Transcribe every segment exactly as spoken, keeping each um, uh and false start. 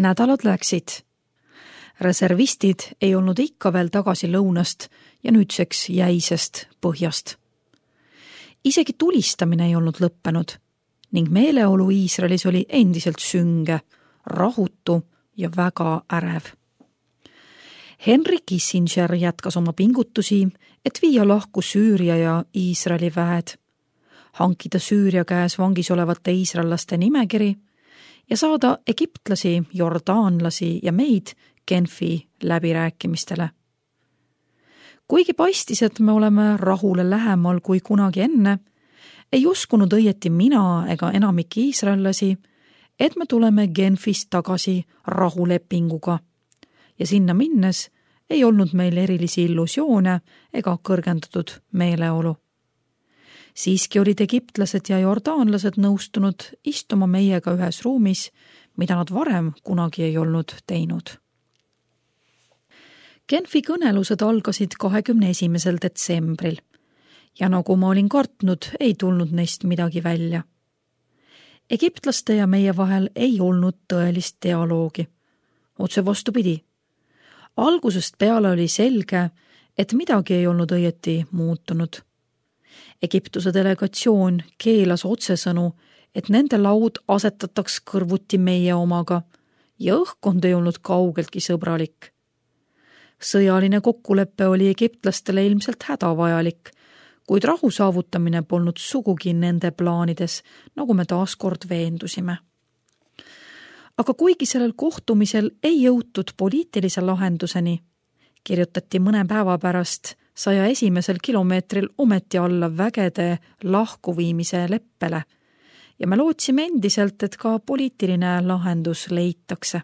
Nädalad läksid. Reservistid ei olnud ikka veel tagasi lõunast ja nüüdseks jäisest põhjast. Isegi tulistamine ei olnud lõppenud ning meeleolu Iisraelis oli endiselt sünge, rahutu ja väga ärev. Henry Kissinger jätkas oma pingutusi, et viia lahku Süüria ja Iisraeli väed, hankida Süüria käes vangis olevate iisraellaste nimekiri ja saada egiptlasi, jordaanlasi ja meid Genfi läbirääkimistele. Kuigi paistis, et me oleme rahule lähemal kui kunagi enne, ei uskunud õieti mina ega enamik iisraellasi, et me tuleme Genfist tagasi rahulepinguga ja sinna minnes ei olnud meil erilisi illusioone ega kõrgendatud meeleolu. Siiski olid egiptlased ja jordaanlased nõustunud istuma meiega ühes ruumis, mida nad varem kunagi ei olnud teinud. Genfi kõnelused algasid kahekümne esimesel detsembril ja nagu ma olin kartnud, ei tulnud neist midagi välja. Egiptlaste ja meie vahel ei olnud tõelist dialoogi. Otse vastupidi. Algusest peale oli selge, et midagi ei olnud õieti muutunud. Egiptuse delegatsioon keelas otsesõnu, et nende laud asetataks kõrvuti meie omaga ja õhkkond ei olnud kaugeltki sõbralik. Sõjaline kokkulepe oli egiptlastele ilmselt hädavajalik, kuid rahu saavutamine polnud sugugi nende plaanides, nagu me taaskord veendusime. Aga kuigi sellel kohtumisel ei jõutud poliitilise lahenduseni, kirjutati mõne päeva pärast saja esimesel kilomeetril ometi alla vägede lahkuviimise leppele ja me lootsime endiselt, et ka poliitiline lahendus leitakse.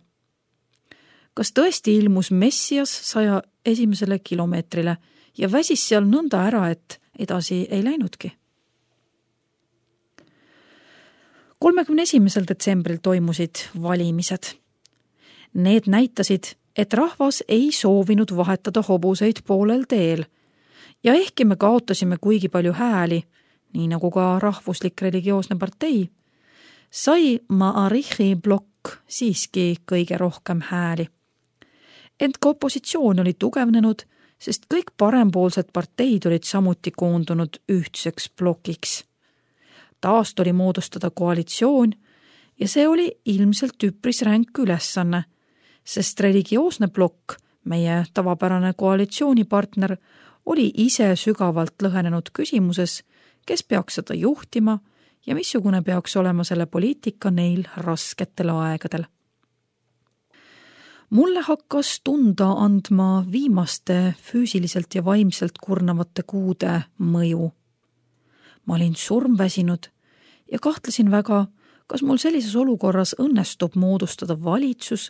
Kas tõesti ilmus Messias saja esimesele kilomeetrile ja väsis seal nõnda ära, et edasi ei läinudki? kolmekümne esimesel detsembril toimusid valimised. Need näitasid, et rahvas ei soovinud vahetada hobuseid poolel teel ja ehkki me kaotasime kuigi palju hääli, nii nagu ka rahvuslik religioosne partei, sai Ma'arichi blokk siiski kõige rohkem hääli. Ent ka opositsioon oli tugevnenud, sest kõik parempoolsed parteid olid samuti koondunud ühtseks blokiks. Taast oli moodustada koalitsioon ja see oli ilmselt üpris ränk ülesanne, sest religioosne blokk, meie tavapärane koalitsioonipartner, oli ise sügavalt lõhenenud küsimuses, kes peaks seda juhtima ja missugune peaks olema selle poliitika neil rasketel aegadel. Mulle hakkas tunda andma viimaste füüsiliselt ja vaimselt kurnavate kuude mõju. Ma olin surmväsinud ja kahtlesin väga, kas mul sellises olukorras õnnestub moodustada valitsus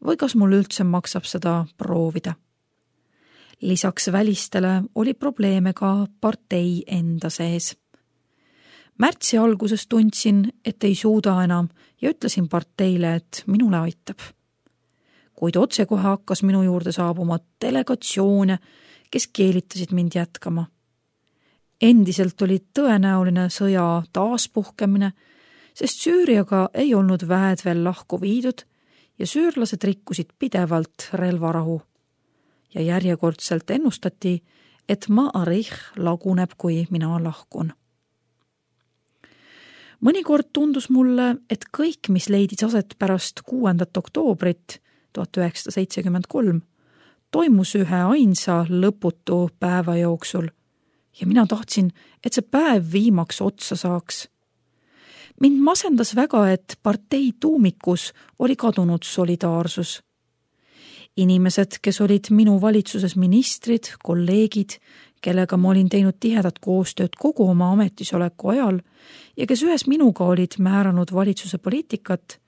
või kas mul üldse maksab seda proovida. Lisaks välistele oli probleeme ka partei enda sees. Märtsi alguses tundsin, et ei suuda enam ja ütlesin parteile, et minule aitab. Kuid otsekohe hakkas minu juurde saabuma delegatsioone, kes keelitasid mind jätkama. Endiselt oli tõenäoline sõja taaspuhkemine, sest Süüriaga ei olnud väed veel lahku viidud ja süürlased rikkusid pidevalt relvarahu. Ja järjekordselt ennustati, et Ma'arich laguneb, kui mina lahkun. Mõnikord tundus mulle, et kõik, mis leidis aset pärast kuuendat oktoobrit tuhat üheksasada seitsekümmend kolm, toimus ühe ainsa lõputu päeva jooksul ja mina tahtsin, et see päev viimaks otsa saaks. Mind masendas väga, et partei tuumikus oli kadunud solidaarsus. Inimesed, kes olid minu valitsuses ministrid, kolleegid, kellega ma olin teinud tihedat koostööd kogu oma ametisoleku ajal ja kes ühes minuga olid määranud valitsuse poliitikat,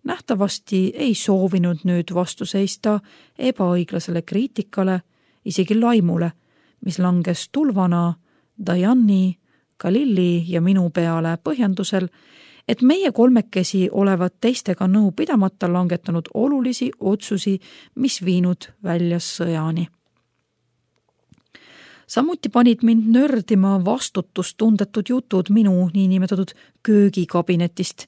nähtavasti ei soovinud nüüd vastu seista ebaõiglasele kriitikale, isegi laimule, mis langes tulvana Dajani, Khalili ja minu peale põhjendusel, et meie kolmekesi olevat teistega nõu pidamata langetanud olulisi otsusi, mis viinud välja sõjani. Samuti panid mind nördima vastutustundetud jutud minu niinimetatud köögikabinetist,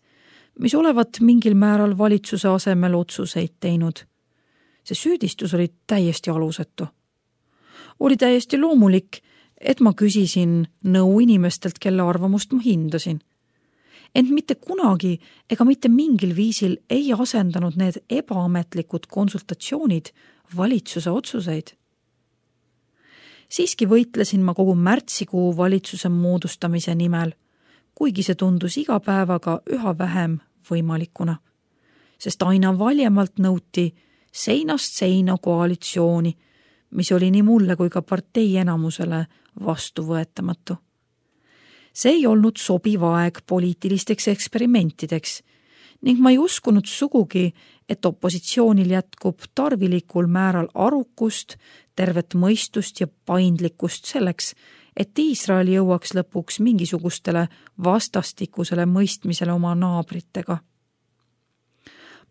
mis olevat mingil määral valitsuse asemel otsuseid teinud. See süüdistus oli täiesti alusetu. Oli täiesti loomulik, et ma küsisin nõu inimestelt, kelle arvamust ma hindasin. Ent mitte kunagi ega mitte mingil viisil ei asendanud need ebaametlikud konsultatsioonid valitsuse otsuseid. Siiski võitlesin ma kogu märtsikuu valitsuse moodustamise nimel, kuigi see tundus iga päevaga üha vähem võimalikuna, sest aina valjemalt nõuti seinast seina koalitsiooni, mis oli nii mulle kui ka partei enamusele vastuvõetamatu. See ei olnud sobiv aeg poliitilisteks eksperimentideks ning ma ei uskunud sugugi, et opositsioonil jätkub tarvilikul määral arukust, tervet mõistust ja paindlikkust selleks, et Iisrael jõuaks lõpuks mingisugustele vastastikusele mõistmisele oma naabritega.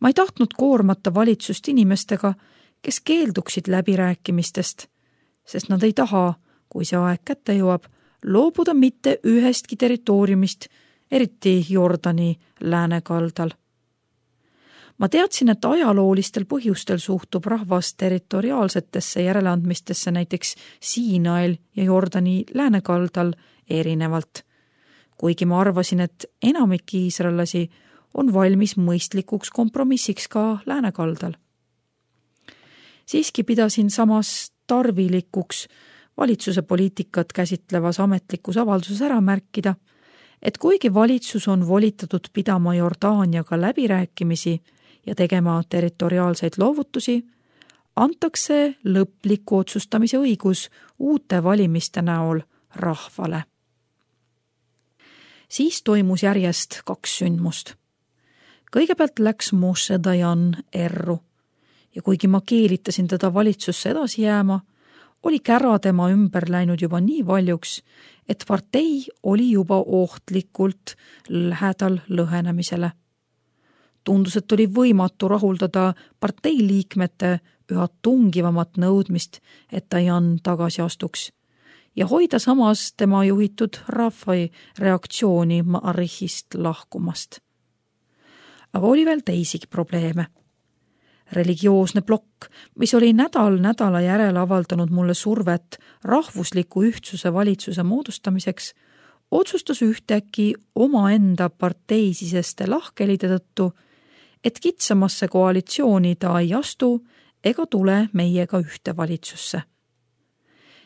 Ma ei tahtnud koormata valitsust inimestega, kes keelduksid läbirääkimistest, sest nad ei taha, kui see aeg kätte jõuab, loobuda mitte ühestki territooriumist, eriti Jordani läänekaldal. Ma teadsin, et ajaloolistel põhjustel suhtub rahvas territoriaalsetesse järeleandmistesse näiteks Siinail ja Jordani läänekaldal erinevalt, kuigi ma arvasin, et enamik iisraellasi on valmis mõistlikuks kompromissiks ka läänekaldal. Siiski pidasin samas tarvilikuks valitsuse poliitikat käsitlevas ametlikus avalduses ära märkida, et kuigi valitsus on volitatud pidama Jordaaniaga läbirääkimisi ja tegema territoriaalseid loovutusi, antakse lõpliku otsustamise õigus uute valimiste näol rahvale. Siis toimus järjest kaks sündmust. Kõigepealt läks Moshe Dayan erru ja kuigi ma keelitasin teda valitsusse edasi jääma, oli kära tema ümber läinud juba nii valjuks, et partei oli juba ohtlikult lähedal lõhenemisele. Tundus, et oli võimatu rahuldada partei liikmete üha tungivamat nõudmist, et Dayan tagasi astuks ja hoida samas tema juhitud rahvai reaktsiooni Ma'arihist lahkumast. Aga oli veel teisigi probleeme. Religioosne plokk, mis oli nädal nädala järel avaldanud mulle survet rahvusliku ühtsuse valitsuse moodustamiseks, otsustas ühtäkki omaenda parteisiseste lahkelide tõttu, et kitsamasse koalitsiooni ta ei astu ega tule meiega ühte valitsusse.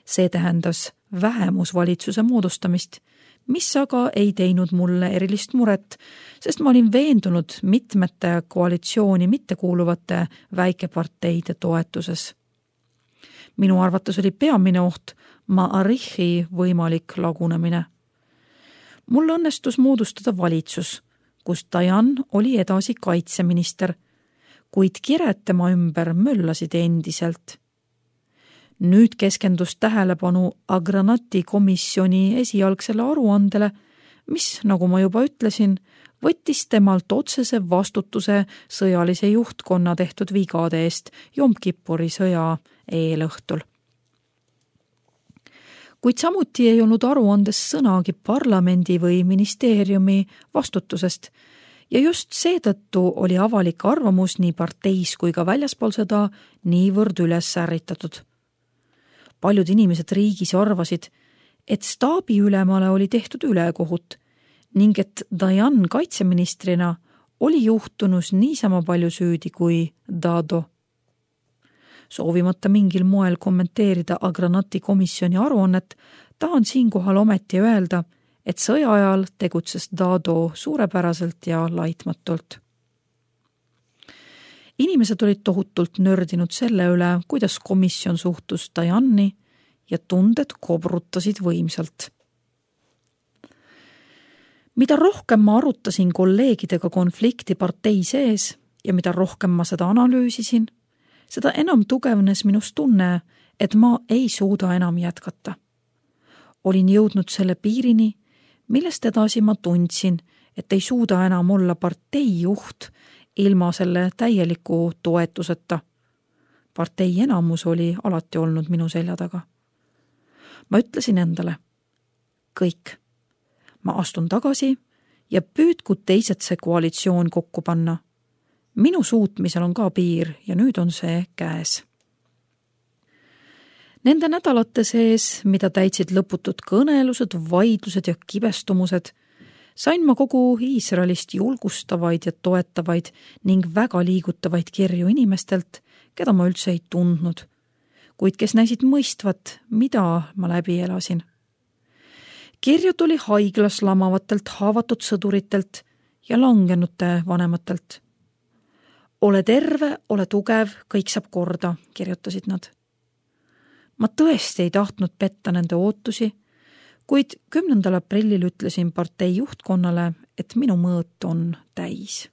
See tähendas vähemusvalitsuse moodustamist, mis aga ei teinud mulle erilist muret, sest ma olin veendunud mitmete koalitsiooni mittekuuluvate väikeparteide toetuses. Minu arvates oli peamine oht Ma'arihi võimalik lagunemine. Mul õnnestus moodustada valitsus, kus Dayan oli edasi kaitseminister, kuid kired tema ümber möllasid endiselt. Nüüd keskendus tähelepanu Agranati komisjoni esialgsele aruandele, mis, nagu ma juba ütlesin, võttis temalt otsese vastutuse sõjalise juhtkonna tehtud vigade eest Jom Kippuri sõja eelõhtul. Kuid samuti ei olnud aruandes sõnagi parlamendi või ministeeriumi vastutusest ja just seetõttu oli avalik arvamus nii parteis kui ka väljaspool seda niivõrd üles ärritatud. Paljud inimesed riigis arvasid, et staabiülemale oli tehtud ülekohut ning et Dayan kaitseministrina oli juhtunus niisama palju süüdi kui Dado. Soovimata mingil moel kommenteerida Agranati komisjoni aruannet, tahan siinkohal ometi öelda, et sõja ajal tegutses Dado suurepäraselt ja laitmatult. Inimesed olid tohutult nördinud selle üle, kuidas komisjon suhtus Dayani ja tunded kobrutasid võimsalt. Mida rohkem ma arutasin kolleegidega konflikti partei sees ja mida rohkem ma seda analüüsisin, seda enam tugevnes minust tunne, et ma ei suuda enam jätkata. Olin jõudnud selle piirini, millest edasi ma tundsin, et ei suuda enam olla partei juht ilma selle täieliku toetuseta. Partei enamus oli alati olnud minu selja taga. Ma ütlesin endale, kõik, ma astun tagasi ja püüdku teised see koalitsioon kokku panna. Minu suutmisel on ka piir ja nüüd on see käes. Nende nädalate sees, mida täitsid lõputud kõnelused, vaidlused ja kibestumused, sain ma kogu Iisraelist julgustavaid ja toetavaid ning väga liigutavaid kirju inimestelt, keda ma üldse ei tundnud, kuid kes näisid mõistvat, mida ma läbi elasin. Kirju tuli haiglas lamavatelt haavatud sõduritelt ja langenute vanematelt. Ole terve, ole tugev, kõik saab korda, kirjutasid nad. Ma tõesti ei tahtnud petta nende ootusi, kuid kümnendal aprillil ütlesin partei juhtkonnale, et minu mõõt on täis.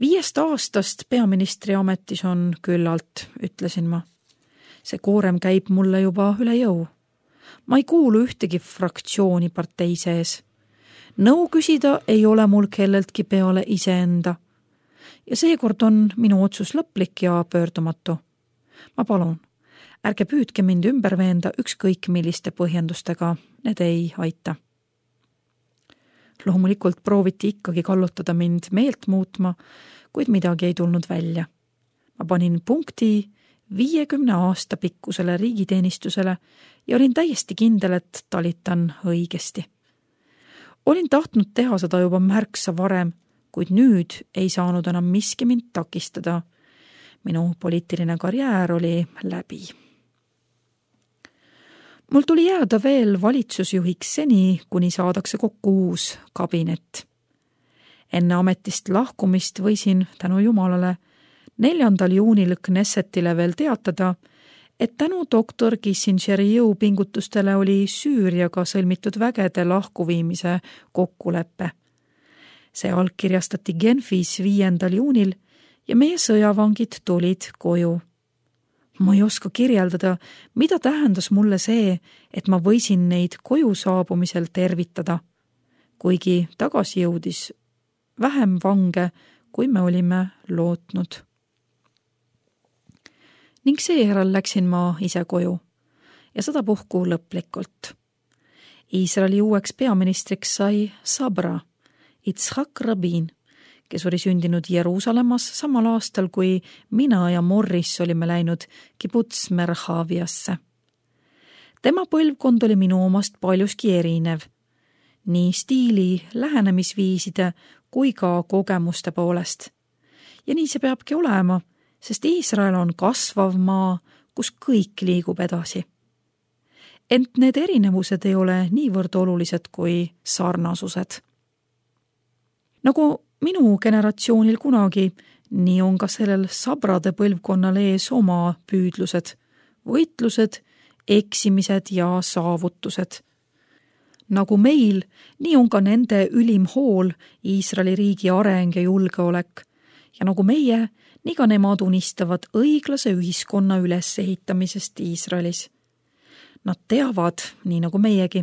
Viiest aastast peaministri ametis on küllalt, ütlesin ma. See koorem käib mulle juba üle jõu. Ma ei kuulu ühtegi fraktsiooni partei sees. Nõu küsida ei ole mul kelleltki peale iseenda. Ja seekord on minu otsus lõplik ja pöördumatu. Ma palun, ärge püüdke mind ümber veenda ükskõik milliste põhjendustega, need ei aita. Loomulikult prooviti ikkagi kallutada mind meelt muutma, kuid midagi ei tulnud välja. Ma panin punkti viiekümne aasta pikkusele riigiteenistusele ja olin täiesti kindel, et talitan õigesti. Olin tahtnud teha seda juba märksa varem, kuid nüüd ei saanud enam miski mind takistada. Minu poliitiline karjäär oli läbi. Mul tuli jääda veel valitsusjuhiks seni, kuni saadakse kokku uus kabinet. Enne ametist lahkumist võisin tänu Jumalale neljandal juunil Knessetile veel teatada, et tänu doktor Kissingeri jõupingutustele oli Süüriaga sõlmitud vägede lahkuviimise kokkuleppe. See allkirjastati Genfis viiendal juunil ja meie sõjavangid tulid koju. Ma ei oska kirjeldada, mida tähendas mulle see, et ma võisin neid koju saabumisel tervitada, kuigi tagasi jõudis vähem vange, kui me olime lootnud. Ning seejärel läksin ma ise koju ja sadapuhku lõplikult. Iisraeli uueks peaministriks sai Sabra, Yitzhak Rabin, kes oli sündinud Jeruusalemmas samal aastal, kui mina ja Morris olime läinud Kibuts Merhaviasse. Tema põlvkond oli minu omast paljuski erinev, nii stiili, lähenemisviiside kui ka kogemuste poolest. Ja nii see peabki olema, sest Iisrael on kasvav maa, kus kõik liigub edasi. Ent need erinevused ei ole niivõrd olulised kui sarnasused. Nagu minu generatsioonil kunagi, nii on ka sellel sabrade põlvkonnal ees oma püüdlused, võitlused, eksimised ja saavutused. Nagu meil, nii on ka nende ülim hool Iisraeli riigi areng ja julgeolek. Ja nagu meie, nii ka nemad unistavad õiglase ühiskonna ülesehitamisest Iisraelis. Nad teavad, nii nagu meiegi,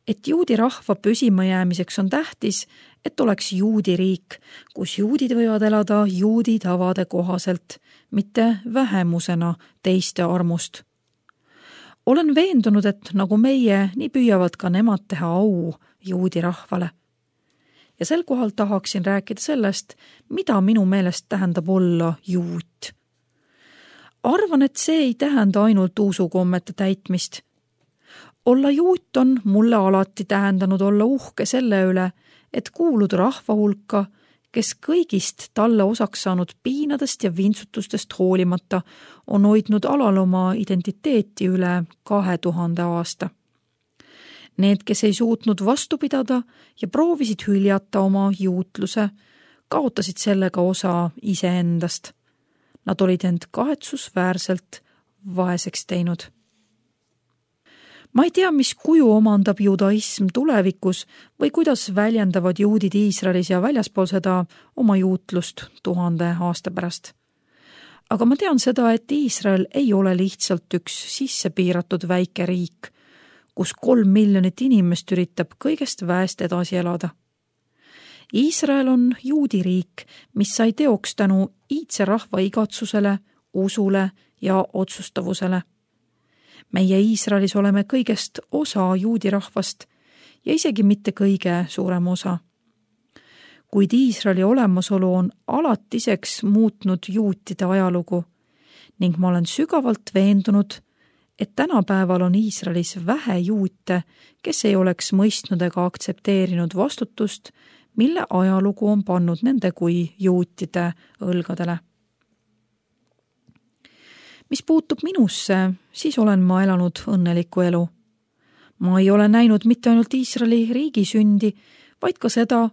et juudi rahva püsimajäämiseks on tähtis, et oleks juudi riik, kus juudid võivad elada juudi tavade kohaselt, mitte vähemusena teiste armust. Olen veendunud, et nagu meie, nii püüavad ka nemad teha au juudi rahvale. Ja sel kohal tahaksin rääkida sellest, mida minu meelest tähendab olla juut. Arvan, et see ei tähenda ainult usukommete täitmist. Olla juut on mulle alati tähendanud olla uhke selle üle, et kuulud rahva hulka, kes kõigist talle osaks saanud piinadest ja vintsutustest hoolimata on hoidnud alal oma identiteeti üle kahe tuhande aasta. Need, kes ei suutnud vastu pidada ja proovisid hüljata oma juutluse, kaotasid sellega osa iseendast. Nad olid end kahetsusväärselt vaeseks teinud. Ma ei tea, mis kuju omandab judaism tulevikus või kuidas väljendavad juudid Iisraelis ja väljaspool seda oma juutlust tuhande aasta pärast. Aga ma tean seda, et Iisrael ei ole lihtsalt üks sisse piiratud väike riik, kus kolm miljonit inimest üritab kõigest väest edasi elada. Iisrael on juudi riik, mis sai teoks tänu iidse rahva igatsusele, usule ja otsustavusele. Meie Iisraelis oleme kõigest osa juudi rahvast ja isegi mitte kõige suurem osa. Kuid Iisraeli olemasolu on alatiseks muutnud juutide ajalugu ning ma olen sügavalt veendunud, et tänapäeval on Iisraelis vähe juute, kes ei oleks mõistnud ega aktsepteerinud vastutust, mille ajalugu on pannud nende kui juutide õlgadele. Mis puutub minusse, siis olen ma elanud õnneliku elu. Ma ei ole näinud mitte ainult Iisraeli riigi sündi, vaid ka seda,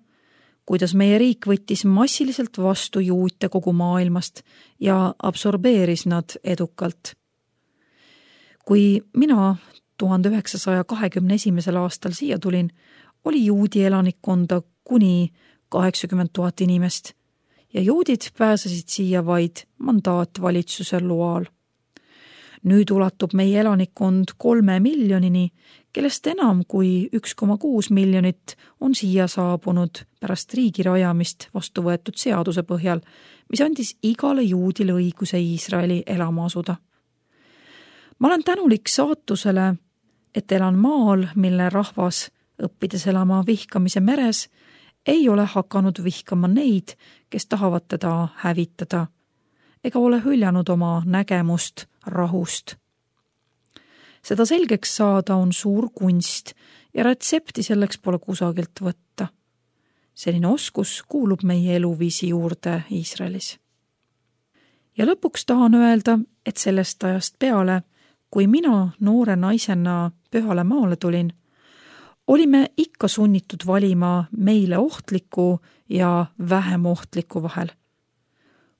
kuidas meie riik võttis massiliselt vastu juute kogu maailmast ja absorbeeris nad edukalt. Kui mina tuhande üheksasaja kahekümne esimesel aastal siia tulin, oli juudi elanikkonda kuni kaheksakümmend tuhat inimest ja juudid pääsesid siia vaid mandaatvalitsuse loal. Nüüd ulatub meie elanikkond kolme miljonini, kellest enam kui üks koma kuus miljonit on siia saabunud pärast riigi rajamist vastu võetud seaduse põhjal, mis andis igale juudile õiguse Iisraeli elama asuda. Ma olen tänulik saatusele, et elan maal, mille rahvas, õppides elama vihkamise meres, ei ole hakanud vihkama neid, kes tahavad teda hävitada, ega ole hüljanud oma nägemust rahust. Seda selgeks saada on suur kunst ja retsepti selleks pole kusagilt võtta. Selline oskus kuulub meie eluviisi juurde Iisraelis. Ja lõpuks tahan öelda, et sellest ajast peale, kui mina noore naisena pühale maale tulin, olime ikka sunnitud valima meile ohtliku ja vähem ohtliku vahel.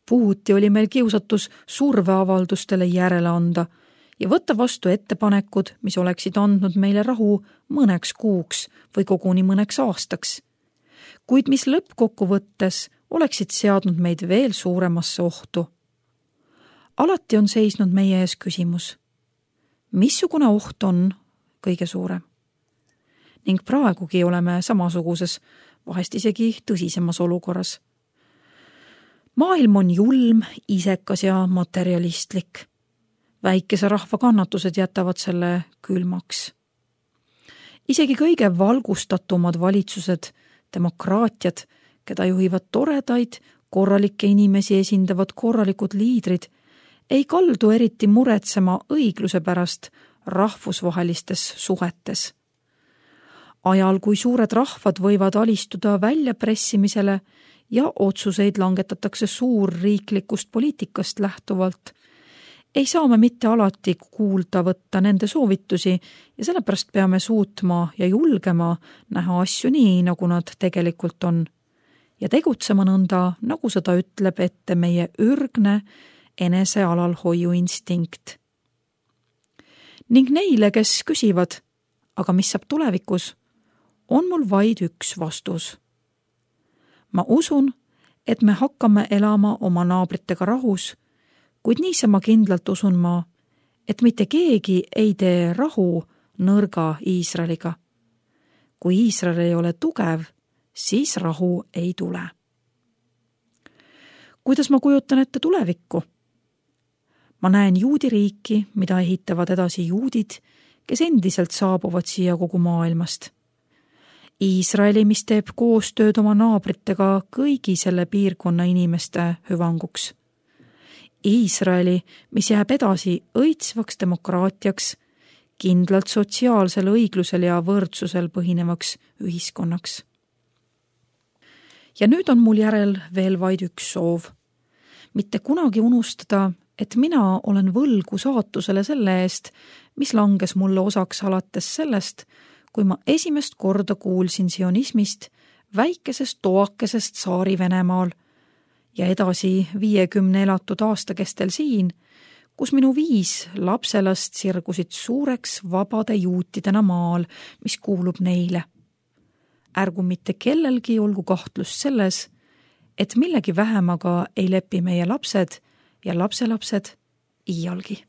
Puhuti oli meil kiusatus surveavaldustele järele anda ja võtta vastu ettepanekud, mis oleksid andnud meile rahu mõneks kuuks või koguni mõneks aastaks, kuid mis lõppkokkuvõttes oleksid seadnud meid veel suuremasse ohtu. Alati on seisnud meie ees küsimus, missugune oht on kõige suurem? Ning praegugi oleme samasuguses, vahest isegi tõsisemas olukorras. Maailm on julm, isekas ja materialistlik. Väikese rahva kannatused jätavad selle külmaks. Isegi kõige valgustatumad valitsused, demokraatiad, keda juhivad toredaid, korralikke inimesi esindavad korralikud liidrid, ei kaldu eriti muretsema õigluse pärast rahvusvahelistes suhetes. Ajal, kui suured rahvad võivad alistuda väljapressimisele ja otsuseid langetatakse suurriiklikust poliitikast lähtuvalt, ei saa me mitte alati kuulda võtta nende soovitusi ja sellepärast peame suutma ja julgema näha asju nii, nagu nad tegelikult on ja tegutsema nõnda, nagu seda ütleb ette meie ürgne enese alalhoiu instinkt. Ning neile, kes küsivad, aga mis saab tulevikus, on mul vaid üks vastus. Ma usun, et me hakkame elama oma naabritega rahus, kuid niisama kindlalt usun ma, et mitte keegi ei tee rahu nõrga Iisraeliga. Kui Iisrael ei ole tugev, siis rahu ei tule. Kuidas ma kujutan ette tulevikku? Ma näen juudi riiki, mida ehitavad edasi juudid, kes endiselt saabuvad siia kogu maailmast. Iisraeli, mis teeb koostööd oma naabritega kõigi selle piirkonna inimeste hüvanguks. Iisraeli, mis jääb edasi õitsvaks demokraatiaks, kindlalt sotsiaalsel õiglusel ja võrdsusel põhinevaks ühiskonnaks. Ja nüüd on mul järel veel vaid üks soov. Mitte kunagi unustada, et mina olen võlgu saatusele selle eest, mis langes mulle osaks alates sellest, kui ma esimest korda kuulsin sionismist väikesest toakesest saari Venemaal ja edasi viiekümne elatud aasta kestel siin, kus minu viis lapselast sirgusid suureks vabade juutidena maal, mis kuulub neile. Ärgu mitte kellelgi olgu kahtlust selles, et millegi vähemaga ei lepi meie lapsed ja lapselapsed iialgi.